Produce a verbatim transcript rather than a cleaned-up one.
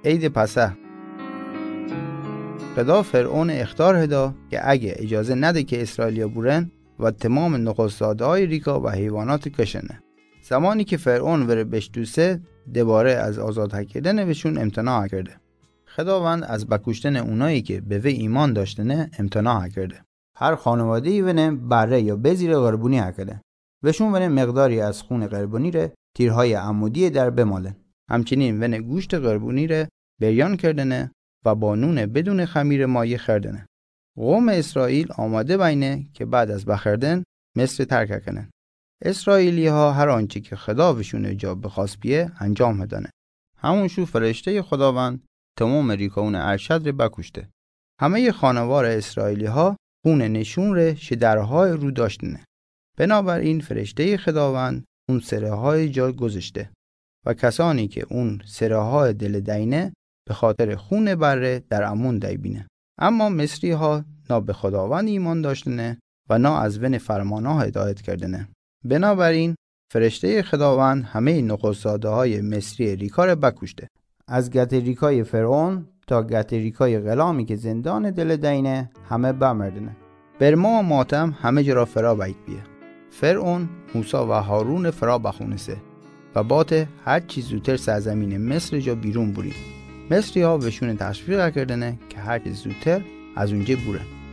عید پسح. خدا فرعون اخطار هدا که اگه اجازه نده که اسرائیلیا بورن و تمام نخست‌زاده‌های ریکا و حیوانات کشنه. زمانی که فرعون وره بشتوسه، دوباره از آزاد هکردن وشون امتناع کرده. خداوند از بکشتن اونایی که به وی ایمان داشتنه امتناع کرده. هر خانواده‌ای ونه بره یا بزیر قربونی هکده. وشون ونه مقداری از خون قربونی ره تیرهای عمودی در بمالن. همچنین ونه گوشت قربونی ره بریان کردنه و با نون بدون خمیر مایع خوردنه. قوم اسرائیل آماده بینه که بعد از بخوردن مصر ترک کنن. اسرائیلی‌ها هر آنچه که خدا وشون جا بخواست بیه انجام هدنه. همون شو فرشتهٔ خداوند تمام ریکاون ارشد ره بکشته. همهٔ خانوار اسرائیلی‌ها خون نشون ره شدرهای رو داشتنه. بنابراین فرشتهٔ خداوند اون سره‌های جا گذشته و کسانی که اون سره‌های دل دینه به خاطر خون بره در امون دیبینه. اما مصری‌ها نا به خداوند ایمان داشتنه و نا از ون فرمان‌ها هدایت کردنه. بنابراین فرشتهٔ خداوند همهٔ نخست‌زاده‌های مصری ریکا ره بکشته. از گت ریکای فرعون تا گت ریکای غلامی که زندان دل دینه همه بمردنه. برما و ماتم همه جا را فرا بیت بیه. فرعون موسی و هارون فرا بخونسه و باته هر چی زودتر سرزمین مصر جا بیرون بورید. مصری‌ها وشون تشویق کردنه که هر چی زودتر از اونجا بورن.